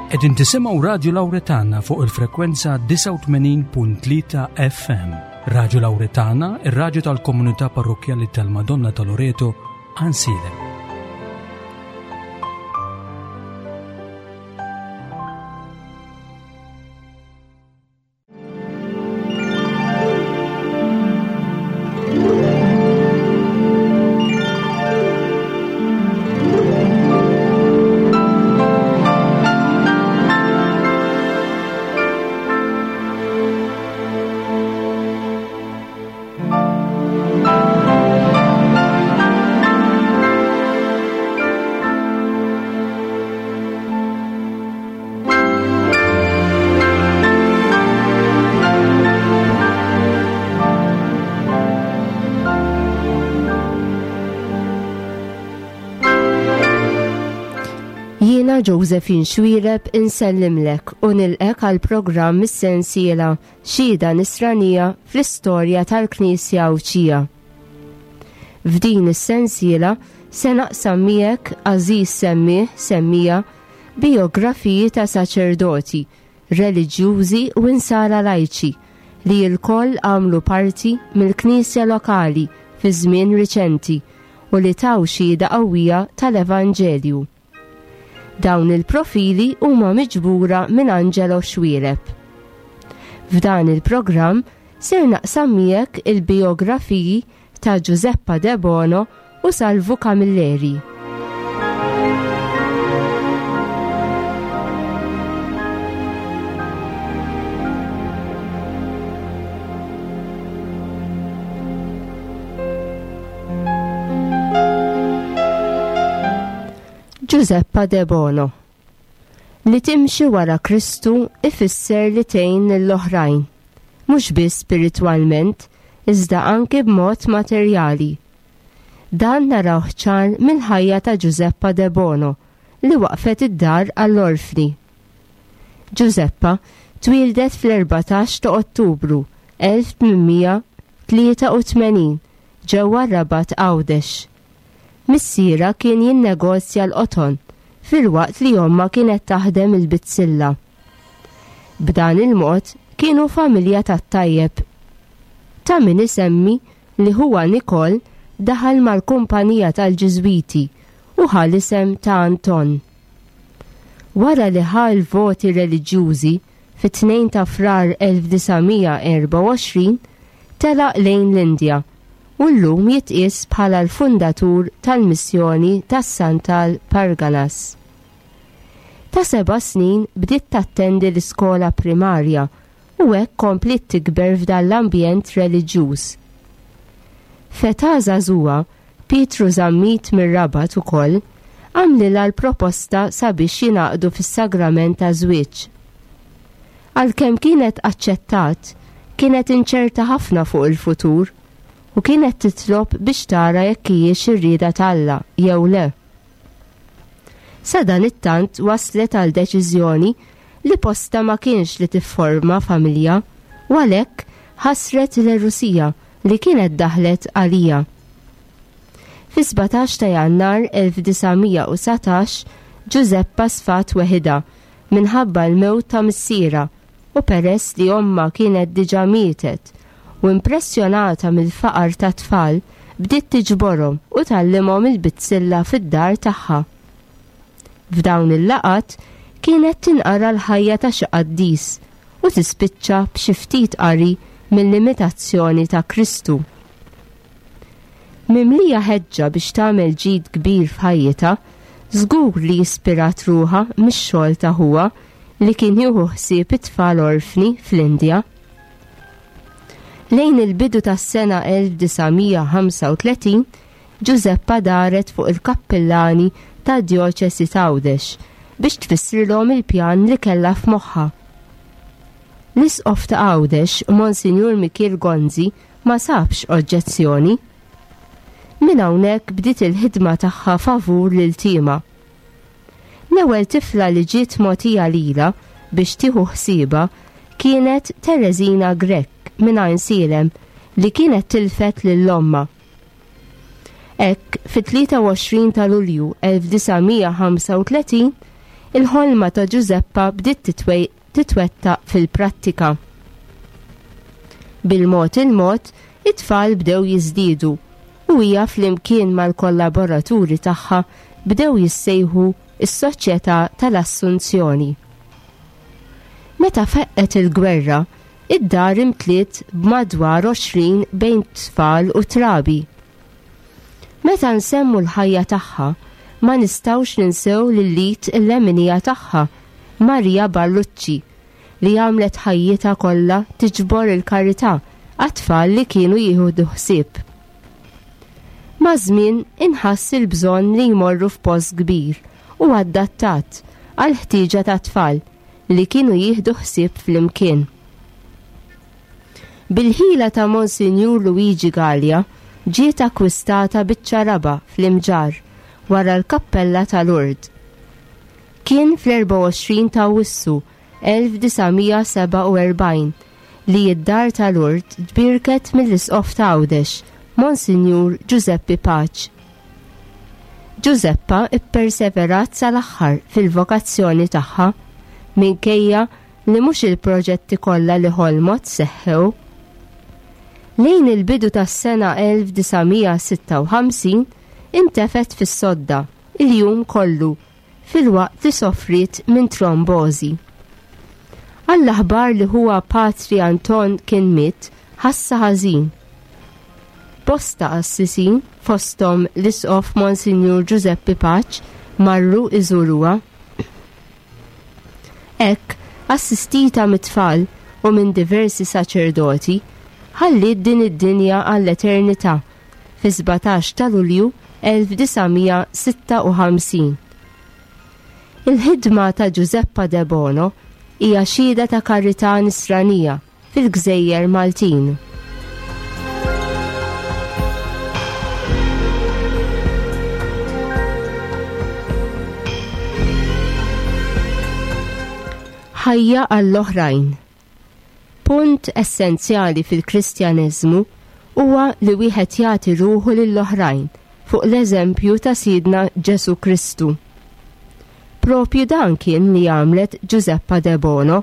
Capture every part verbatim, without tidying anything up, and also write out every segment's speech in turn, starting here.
Qegħdin tisimgħu Radio Lauretana fuq il-frekwenza disgħa u tmenin punt tlieta F M. Radio Lauretana, ir-radju tal-komunità parrokjali tal-Madonna ta' Loreto, Għajnsielem. Jiena Josephine Xuereb insellimlek u nilqgħek għal programm is-sensiela Xhieda Nisranija fl-istorja tal-Knisja Għawdxija. F'din is-sensiela se naqsam miegħek, għażiż semmiegħ, semmiegħa, biografiji ta' saċerdoti, reliġjużi u insara lajċi li lkoll għamlu parti mill-Knisja lokali fi żmien riċenti u li taw xhieda qawwija tal-Evanġelju. Dawn il-profili huma miġbura minn Angelo Xuereb. F'dan il-programm ser naqsam miegħek il-biografiji ta' Giuseppa De Bono u Salvu Camilleri. Giuseppa De Bono. Li timxi wara Kristu ifisser li tgħin lill-oħrajn, mhux biss spiritwalment, iżda anke b'mod materjali. Dan narawh ċar mill-ħajja ta' Giuseppa De Bono li waqfet id-dar għall-orfni. Giuseppa twieldet fl-erbatax ta' Ottubru elf tmien mija tlieta u tmenin ġewwa Rabat, Għawdex. Missiera kien jinnegozja l-qoton filwaqt li omma kienet taħdem il-bizzilla. B'dan il-mod kienu familja tat-tajjeb. Ta' min isemmi li ħuha Nikol daħal mal-kumpanija tal-Ġiżwiti u ħa l-isem ta' Anton. Wara li ħa l-voti reliġjużi fit-tnejn ta' Frar elf disa' mija erbgħa u għoxrin telaq lejn l-Indja u llum jitqies bħala l-fundatur tal-missjoni tas-Santal Parganas. Ta' seba' snin bdiet tattendi l-iskola primarja u hekk kompliet tikber f'dan l-ambjent reliġjuż. F'età żagħżugħa, Pietru Zammit mir-Rabat ukoll għamlilha l-proposta sabiex jingħaqdu fis-sagrament ta' żwieġ. Għalkemm kienet aċċettat, kienet inċerta ħafna fuq il-futur u kienet titlob biex tara jekk hijiex ir-rieda t'Alla jew le. Sadanittant waslet għal deċiżjoni li posta ma kienx li tifforma familja u għalhekk ħasret l-Rusija li kienet daħlet għalija. Fi sbatax ta' Jannar elf disa' mija u satax Giuseppa sfat weħida minħabba l-mewt ta' missiera u peress li omma kienet diġà mietet u impressjonata mill-faqar ta' tfal bdiet tiġborhom u tgħallimhom il-bizzilla fid-dar tagħha. F'dawn il-laqat kienet tinqara l-ħajja ta' xi qaddis u tispiċċa b'xi ftit qari mill-imitazzjoni ta' Kristu. Mimlija ħeġġa biex tagħmel ġid kbir f'ħajjitha, żgur li ispirat ruħha mix-xogħol ta' ħuha li kien jieħu ħsieb it-tfal orfni fl-Indja. Lejn il-bidu tas-sena elf disa' mija ħamsa u tletin, Giuseppa daret fuq il-kappillani ta' djoċesi t'Għawdex biex tfissrilhom il-pjan li kellha f'moħħha. L-isqof ta' Għawdex, Monsinjur Mikiel Gonzi, ma sabx oġġezzjoni. Minn hawnhekk bdiet il-ħidma tagħha favur l-iltiema. L-ewwel tifla li ġiet mogħtija lilha biex tieħu ħsiebha kienet Teresina Grech minn Għajnsielem li kienet tilfet lil ommha. Hekk, fit-tlieta u għoxrin ta' Lulju elf disa' mija ħamsa u tletin, il-ħolma ta' Ġużeppa bdiet titwettaq fil-prattika. Bil-mod il-mod, it-tfal bdew jiżdiedu u hija flimkien mal-kollaboraturi tagħha bdew jissejħu is-Soċjetà tal-Assunzjoni. Meta feqqet il-gwerra, id-dar imtliet b'madwar għoxrin bejn tfal u trabi. Meta nsemmu l-ħajja tagħha, ma nistgħux ninsew lil-lit il-leminija tagħha, Maria Ballucci, li għamlet ħajjitha kollha tiġbor il-karità għat-tfal li kienu jieħdu ħsieb. Maż-żmien inħass il-bżonn li jmorru f'post kbir u adattat għal ħtieġa ta' tfal li kienu jieħdu ħsieb flimkien. Bil-ħila ta' Monsinjur Luigi Gallia ġiet akkwistata biċċa raba fl-Imġarr wara l-kappella ta' Lourdes. Kien fl-erbgħa u għoxrin ta' Awwissu elf disa' mija sebgħa u erbgħin li id-dar ta' Lourdes tbierket mill-Isqof ta' Għawdex, Monsinjur Giuseppe Pace. Ġużeppa ipperseverat sal-aħħar fil-vokazzjoni tagħha minkejja li mhux il-proġetti kollha li ħolmot seħħew. Lejn il-bidu tas-sena elf disa' mija sitta u ħamsin intefet fis-sodda il-jum kollu filwaqt li soffriet minn trombożi. Għall-aħbar li huwa Patri Anton kien miet, ħassa ħażin. Bosta qassisin, fosthom l-Isqof Monsinjur Giuseppe Pace, marru iżuruha. Hekk, assistita mit-tfal u minn diversi saċerdoti, ħalliet din id-dinja għall-eternità fi sbatax ta' Lulju elf disa' mija sitta u ħamsin. Il-ħidma ta' Ġużeppa Debono hija xhieda ta' karità nisranija fil-Gżejjer Maltin. Ħajja għall-oħrajn. Punt essenzjali fil-Kristjaneżmu huwa li wieħed jagħti ruħu lill-oħrajn fuq l-eżempju ta' Sidna Ġesu Kristu. Propju dan kien li għamlet Ġużeppa Debono.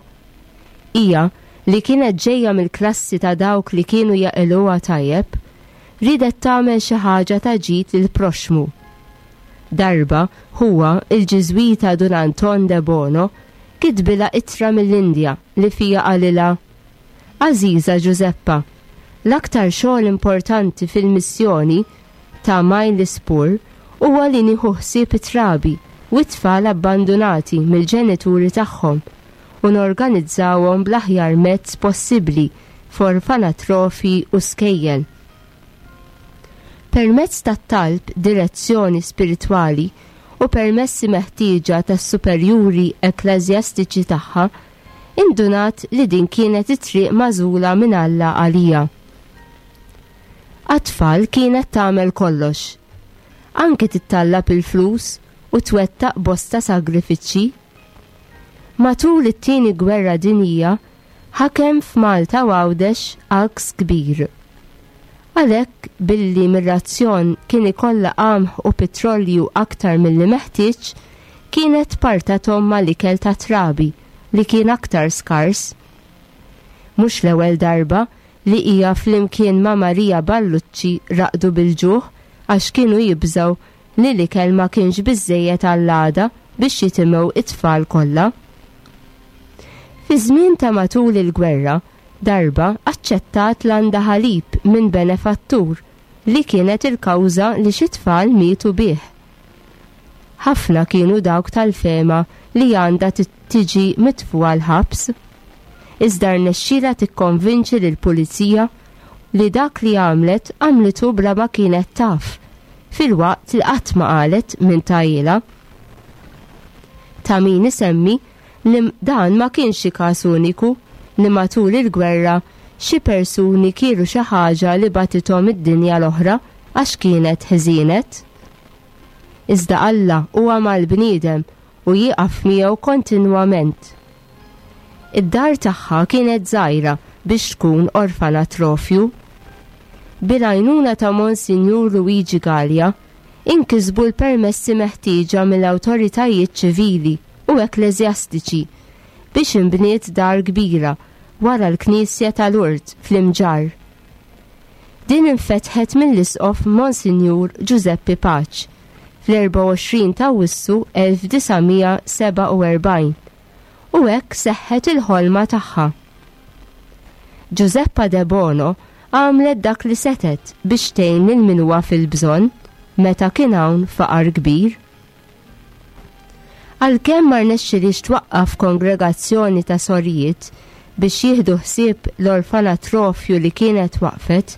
Hija li kienet ġejja mill-klassi ta' dawk li kienu jaqilgħuha tajjeb, riedet tagħmel xi ħaġa ta' ġid lill-proxmu. Darba huwa il-Ġiżwita Dun Anton Debono kitbilha ittra mill-Indja li fija qalilha: Għażiża Ġużeppa, l-aktar xogħol importanti fil-missjoni ta' Mylapore huwa li nieħu ħsieb it-trabi u t-tfal abbandunati mill-ġenituri tagħhom u norganizzawhom bl-aħjar mezz possibbli f'orfanatrofi u skejjel. Permezz tat-talb, direzzjoni spiritwali u permessi meħtieġa tas-superjuri ekkleżjastiċi tagħha, indunat li din kienet it-triq magħżula minn Alla għalija. Għat-tfal kienet tagħmel kollox, anke tittallab il-flus u twettaq bosta sagrifiċċji. Matul it-tieni gwerra dinjija ħakem f'Malta u Għawdex għaks kbir. Għalhekk billi mir-razzjon kien ikollha qamħ u petrolju aktar milli meħtieġ, kienet partathom mal-ikel ta' trabi li kien aktar skars. Mhux l-ewwel darba li hija flimkien ma' Maria Ballucci raqdu bil-ġuħ għax kienu jibżgħu li l-ikel ma kienx biżżejjed għall-għada biex jitimgħu it-tfal kollha. Fi żmien ta' matul il-gwerra, darba aċċettat landa ħalib minn benefattur li kienet il-kawża li xi tfal mietu bih. Ħafna kienu dawk tal-fema li għandha tiġi mitfugħa l-ħabs. Iżda rnexxielha tikkonvinċi lill-pulizija li dak li għamlet għamlitu bla ma kienet taf, filwaqt li qatt ma qalet minn tajjilha. Ta' min isemmi li dan ma kienx xi każ uniku li matul il-gwerra xi persuni kielu xi ħaġa li batithom id-dinja l-oħra għax kienet ħżienet. Iżda Alla huwa mal-bniedem u jieqaf miegħu kontinwament. Id-dar tagħha kienet żgħira biex tkun orfanatrofju. Bil-għajnuna ta' Monsinjur Luigi Gallia inkisbu l-permessi meħtieġa mill-awtoritajiet ċivili u u ekkleżjastiċi biex inbniet dar kbira wara l-Knisja ta' Lourdes fl-Imġarr. Din infetħet mill-Isqof Monsinjur Giuseppe Pace fl-erbgħa u għoxrin ta' Awwissu elf disa' mija sebgħa u erbgħin u hekk seħħet il-ħolma tagħha. Giuseppa De Bono għamlet dak li setet biex tgħin lil min huwa fil-bżonn meta kien hawn faqar kbir. Għalkemm ma rnexxilix twaqqaf kongregazzjoni ta' sorijiet biex jieħdu ħsieb l-orfanatrofju li kienet waqfet,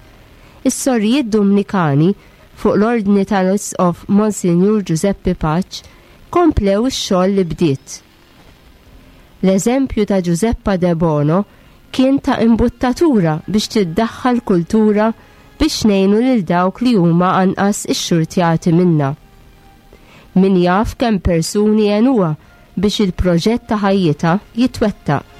is-sorijiet Dominikani fuq l-ordni tal-Isqof Monsinjur Giuseppe Pace komplew ix-xogħol li bdiet. L-eżempju ta' Giuseppa De Bono kien ta' imbuttatura biex tiddaħħal kultura biex ngħinu lil dawk li huma anqas ix-xurtjati minna. Min jaf kemm persuni għenuha biex il-proġett ta' ħajjitha jitwettaq.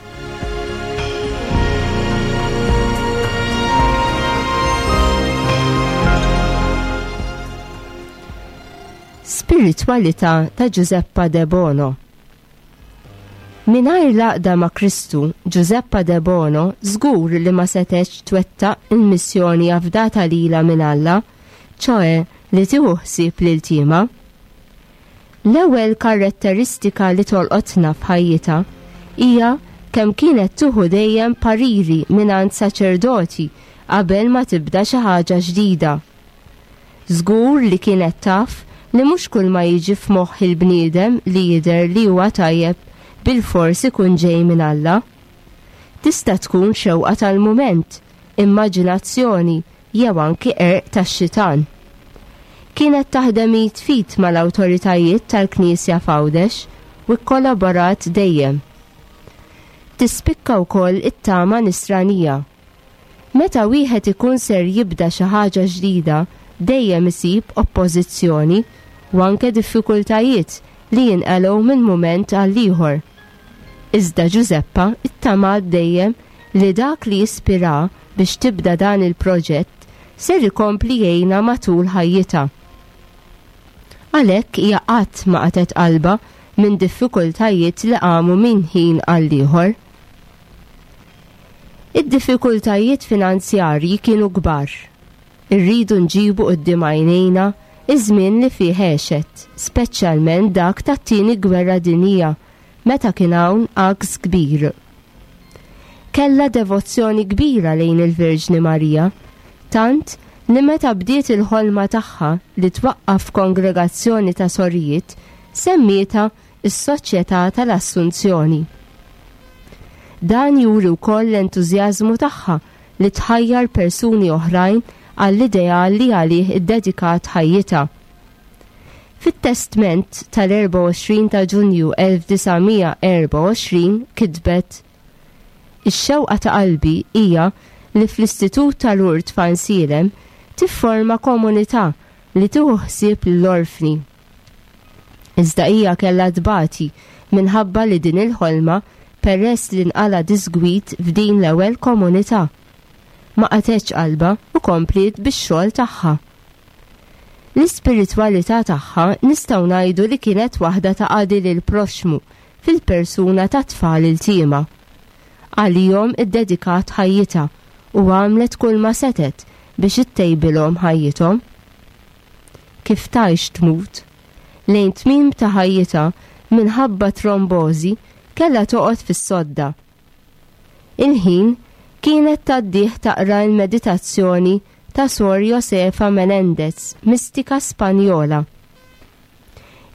Spiritwalità ta' Giuseppa De Bono. Mingħajr l-għaqda ma' Kristu, Giuseppa De Bono żgur li ma setgħetx twettaq il-missjoni afdata lilha minn Alla, ċoe li tieħu ħsieb lil tiema. L-ewwel karatteristika li tolqotna f'ħajjitha hija kemm kienet tieħu dejjem pariri mingħand saċerdoti qabel ma tibda xi ħaġa ġdida. Żgur li kienet taf li mhux kull ma jiġi f'moħħ il-bniedem li jidher li huwa tajjeb bil-fors ikun ġej minn Alla. Tista' tkun xewqa tal-mument, immaġinazzjoni jew anki qerq tax-xitan. Kienet taħdem id fit mal-awtoritajiet tal-Knisja f'Għawdex u kkollaborat dejjem. Tispikka wkoll it-tama nisranija. Meta wieħed ikun ser jibda xi ħaġa ġdida, dejjem isib oppożizzjoni u anke diffikultajiet li jinqalgħu minn mument għal ieħor. Iżda Giuseppa ittamat dejjem li dak li jispira biex tibda dan il-proġett ser ikompli jgħinha matul ħajjitha. Għalhekk hija qatt ma qatgħet qalbha minn diffikultajiet li qamu minn ħin għal ieħor. Id-diffikultajiet finanzjarji kienu kbar. Irridu nġibu quddiem għajnejna iż-żmien li fih għexet, speċjalment dak tat-tieni gwerra dinjija, meta kien hawn għaks kbir. Kellha devozzjoni kbira lejn il-Verġni Marija, tant li meta bdiet il-ħolma tagħha li twaqqaf kongregazzjoni ta' sorijiet, semmietha is-Soċjetà tal-Assunzjoni. Dan juri wkoll l-entużjażmu tagħha li tħajjar persuni oħrajn għall-ideal li għalih iddedikat ħajjitha. Fit-testment tal-erbgħa u għoxrin ta' Ġunju elf disa' mija erbgħa u għoxrin kitbet: Ix-xewqa ta' qalbi hija li fl-Istitut tal-Lourdes f'Għajnsielem tifforma komunità li tieħu ħsieb lill-orfni. Iżda hija kellha tbati minħabba li din il-ħolma peress li nqala disgwit f'din l-ewwel komunità. Ma qatgħetx qalbha u kompliet bix-xogħol tagħha. L-ispiritwalità tagħha nistgħu ngħidu li kienet waħda ta' qadi lil proxmu fil-persuna ta' tfal il-tiema. Għalihom iddedikat ħajjitha u għamlet kull ma setet biex ittejbilhom ħajjithom. Kif tgħix tmut, lejn tmiem ta' ħajjitha minħabba trombożi kellha toqgħod fis-sodda. Il-ħin kienet tgħaddih taqra l-meditazzjoni ta' Sor Josefa Menendez, mistika Spanjola.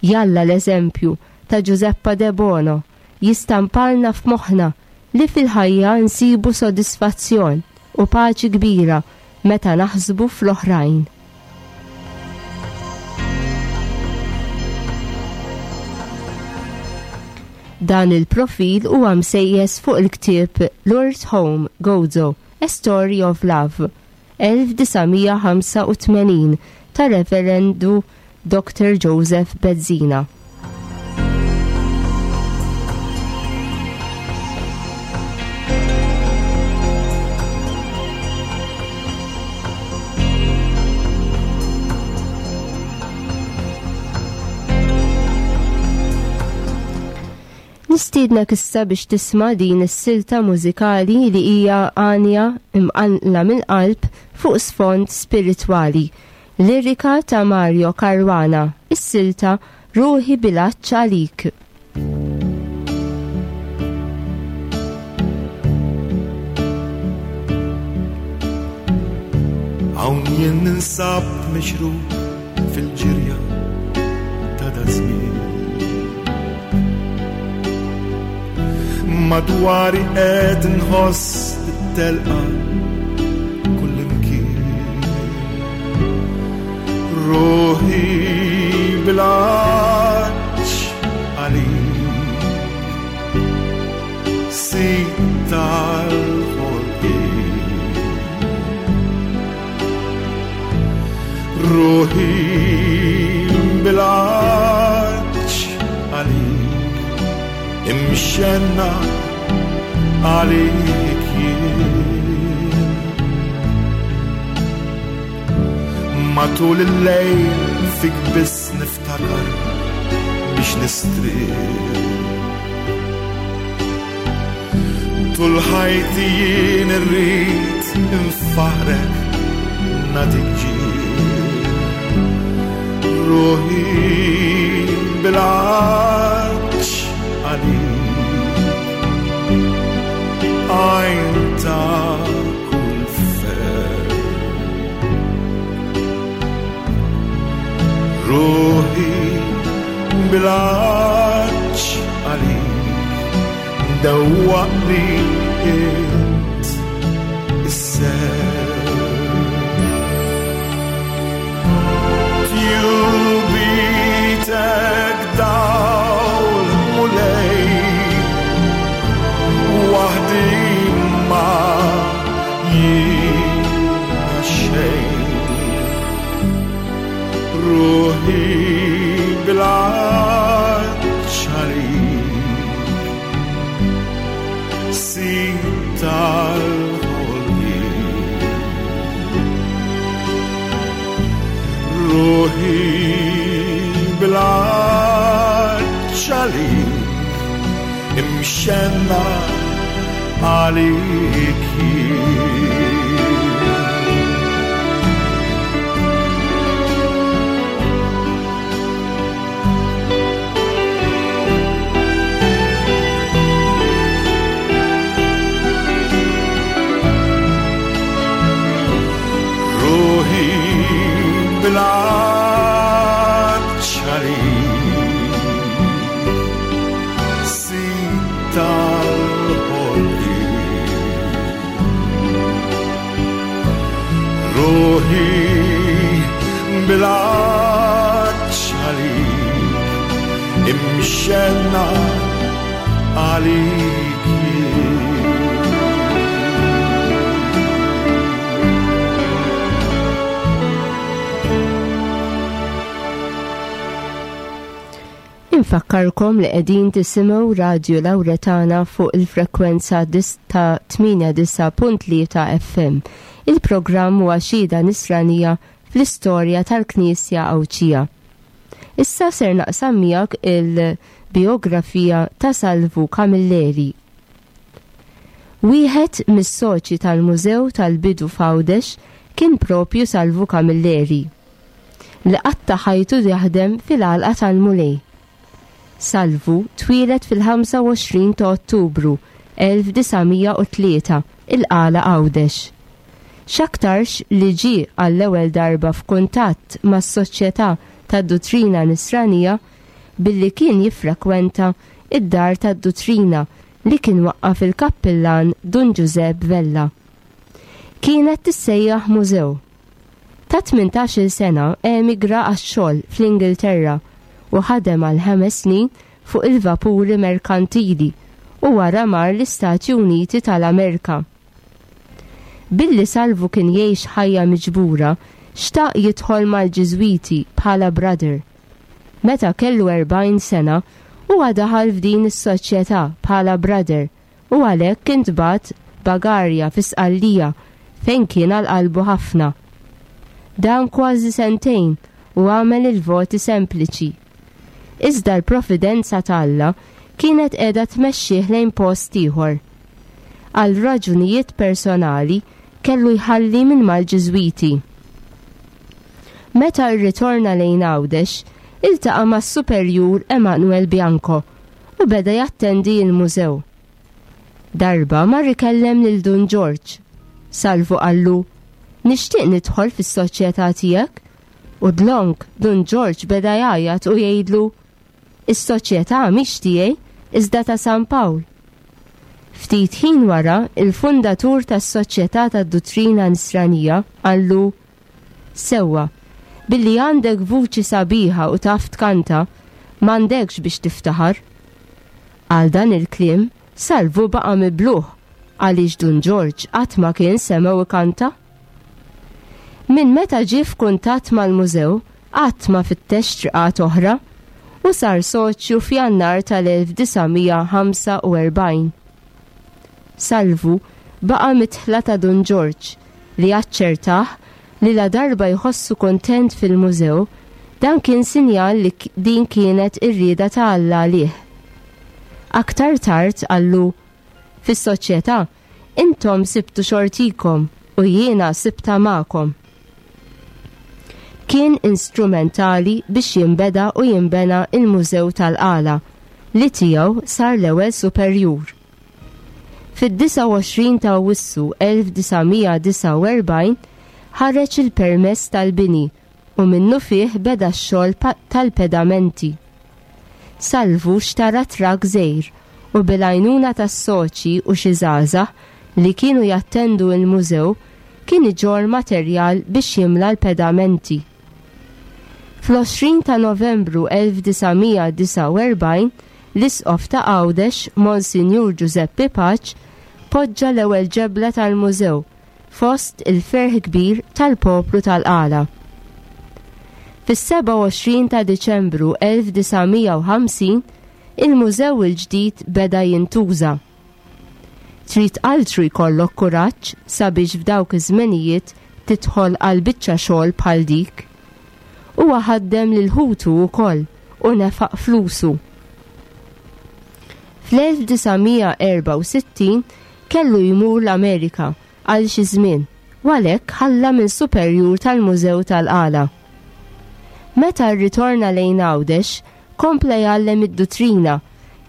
Jalla l-eżempju ta' Giuseppa De Bono jistampalna f'moħħna li fil-ħajja nsibu sodisfazzjon u paċi kbira meta naħsbu fl-oħrajn. Dan il-profil huwa msejjes fuq il-ktieb Lourdes Home, Gozo, A Story of Love, elf disa' mija ħamsa u tmenin ta' Reverendu Doctor Joseph Bezzina. Nistiednek issa biex tisma' din is-silta mużikali li hija għanja imqanqla mill-qalb fuq sfond spiritwali. Lirika ta' Mario Caruana, is-silta Ruħi bil-għatx għalik. Hawn jien ninsab mixrub fil-ġirja ta' dażmien. Madwari qed nħoss it-telqa kullimkien. Ruħi bil-għatx għalik, sid tal-ħolqien. Ruħi bil-għatx għalik, imxenna għalik jien. Matul il-lejl fik biss niftakar biex nistrieħ. Tul ħajti jien irrid infaħrek nagħtik ġieħ. Ruħi bil-għatx għalik, għajn ta' kull ferħ. Ruħi bil-għatx għalik, dawwaqni int is-serħ. Tjubitek dawl Mulej, waħdi ma jiena xejn. Ruħi bil-għatx għalik, sid tal-ħolqien. Ruħi bil-għatx għalik, imxenna għalik jien. Ruħi bil-għatx għalik, sid tal-ħolqien. Ruħi bil-għatx għalik, imxenna għalik jien. Infakkarkom li qegħdin tisimgħu Radju Lawretana fuq il-frekwenza ta' tmienja disa' punt tlieta F M. Il-programm huwa xhieda nisranija fl-istorja tal-Knisja Għawdxija. Issa ser naqsam miegħek il-biografija ta' Salvu Camilleri. Wieħed mis-soċi tal-Mużew tal-Bidu f'Għawdex kien propju Salvu Camilleri, li qatta' ħajtu jaħdem fil-għalqa tal-Mulej. Salvu twieled fil-ħamsa u għoxrin ta' Ottubru elf disa' mija u tlieta il-Qala Għawdex. X'aktarx li ġie għall-ewwel darba f'kuntatt mas-Soċjetà tad-Duttrina Nisranija billi kien jiffrekwenta id-dar tad-Duttrina li kien waqqaf il-kappillan Dun Giuseppe Vella. Kienet tissejjaħ mużew. Ta' tmintax-il sena emigra għax-xogħol fl-Ingilterra u ħadem għal ħames snin fuq il-vapuri merkantili u wara mar l-Istati Uniti tal-Amerika. Billi Salvu kien jgħix ħajja miġbura, xtaq jidħol mal-Ġiżwiti bħala brother. Meta kellu erbgħin sena, huwa daħal f'din is-soċjetà bħala brother u għalhekk kien tbagħat Bagarja fi Sqallija fejn kien għal qalbu ħafna. Dan kważi sentejn u għamel il-voti sempliċi. Iżda l-providenza t'Alla kienet qiegħda tmexxih lejn post ieħor. Għal raġunijiet personali kellu jħalli minn mal-Ġiżwiti. Meta rritorna lejn Għawdex, iltaqa' mas-Superjur Emanuel Bianco u beda jattendi l-mużew. Darba mar ikellem lil Dun Ġorġ. Salvu qallu, "Nixtieq nidħol fis-soċjetà tiegħek." U dlonk Dun Ġorġ beda jgħajjat u jgħidlu, "Is-soċjetà mhix tiegħi, iżda ta' San Pawl." Ftit ħin wara, il-fundatur tas-Soċjetà tad-Duttrina Nisranija qallu, "Sewwa, billi għandek vuċi sabiħa u taf tkanta, m'għandekx biex tiftaħar." Għal dan il-kliem, Salvu baqa' mibluh għaliex Dun Ġorġ qatt ma kien semgħu ikanta. Minn meta ġie f'kuntatt mal-mużew, qatt ma fittex triqat oħra u sar soċju f'Jannar tal-elf disa' mija ħamsa u erbgħin. Salvu baqa' mitħla ta' Dun Ġorġ li aċċertah li la darba jħossu kontent fil-mużew, dan kien sinjal li k-, din kienet ir-rieda ta' Alla għalih. Aktar tard qallu, "Fis-soċjetà intom sibtu xortikom u jiena sibta magħkom." Kien instrumentali biex jinbeda u jinbena il-Mużew tal-Qala li tiegħu sar l-ewwel superjur. Fid-disgħa u għoxrin ta' Awwissu elf disa' mija disgħa u erbgħin ħareġ il-permess tal-bini u minnu fih beda x-xogħol pa-, tal-pedamenti. Salvu xtara trak żgħir u bil-għajnuna tas-soċi u xi żgħażagħ li kienu jattendu l-mużew kien iġorr materjal biex jimla l-pedamenti. Fl-għoxrin ta' Novembru elf disa' mija disgħa u erbgħin, l-Isqof ta' Għawdex, Monsinjur Giuseppe Pace, poġġa l-ewwel ġebla tal-mużew fost il-ferħ kbir tal-poplu tal-Qala. Fis-sebgħa u għoxrin ta' Diċembru elf disa' mija u ħamsin, il-mużew il-ġdid beda jintuża. Trid altru jkollok kuraġġ sabiex f'dawk iż-żmenijiet tidħol għal biċċa xogħol bħal dik. Huwa ħaddem lil ħutu wkoll u nefaq flusu. Fl-elf disa' mija erba' u sittin kellu jmur l-Amerika għal xi żmien u għalhekk ħalla minn superjur tal-Mużew tal-Qala. Meta rritorna lejn Għawdex, kompla jgħallem id-duttrina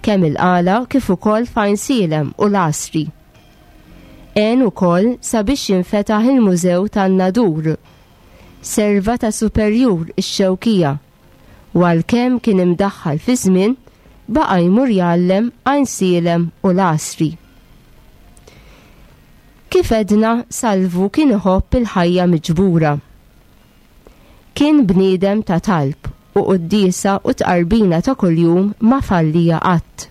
kemm il-Qala kif ukoll f'Għajnsielem u l-Għasri. Għen ukoll sabiex jinfetaħ il-Mużew tan-Nadur, serva ta' superjur ix-Xewkija, u għalkemm kien imdaħħal fi żmien, baqa' jmur jgħallem Għajnsielem u l-Għasri. Kif edna, Salvu kien iħobb il-ħajja miġbura. Kien bniedem ta' talb u quddiesa u tqarbina ta' kuljum ma fallija qatt.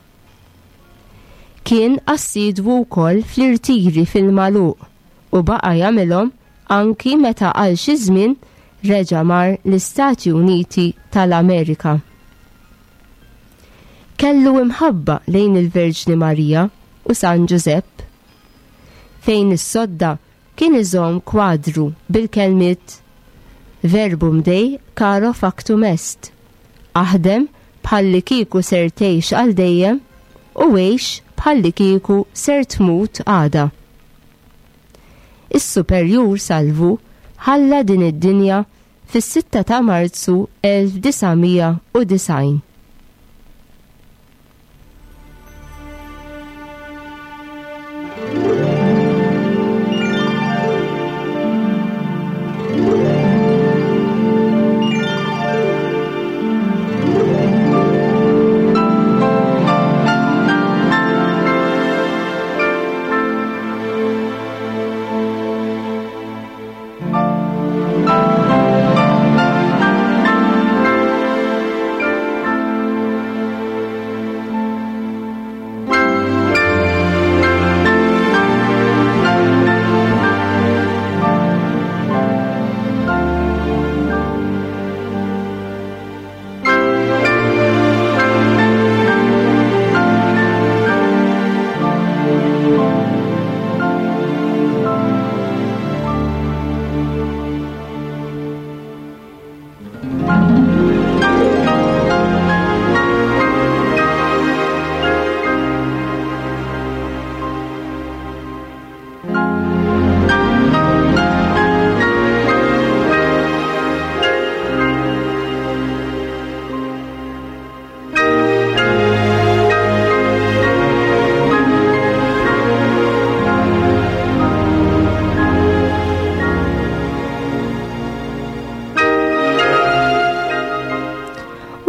Kien assidwu wkoll fl-irtiri fil-magħluq u baqa' jagħmilhom anki meta għal xi żmien reġa' mar l-Istati Uniti tal-Amerika. Kellu imħabba lejn il-Verġni Marija u San Ġużepp, fejn is-sodda kien iżomm kwadru bil-kelmiet Verbum Dei caro factum est, aħdem bħalli kieku ser tgħix għal dejjem u għix bħalli kieku ser tmut għada. Is-Superjur Salvu ħalla din id-dinja fis-sitta ta' Marzu elf disa' mija u disgħin.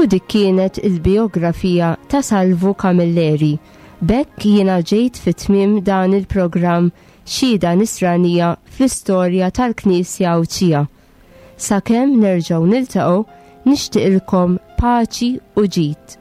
U dik kienet il-biografija ta' Salvu Camilleri. B'hekk jiena ġejt fit-tmiem dan il-programm Xhieda Nisranija fl-istorja tal-Knisja Għawdxija. Sakemm nerġgħu niltaqgħu, nixtieqilkom paċi u ġid.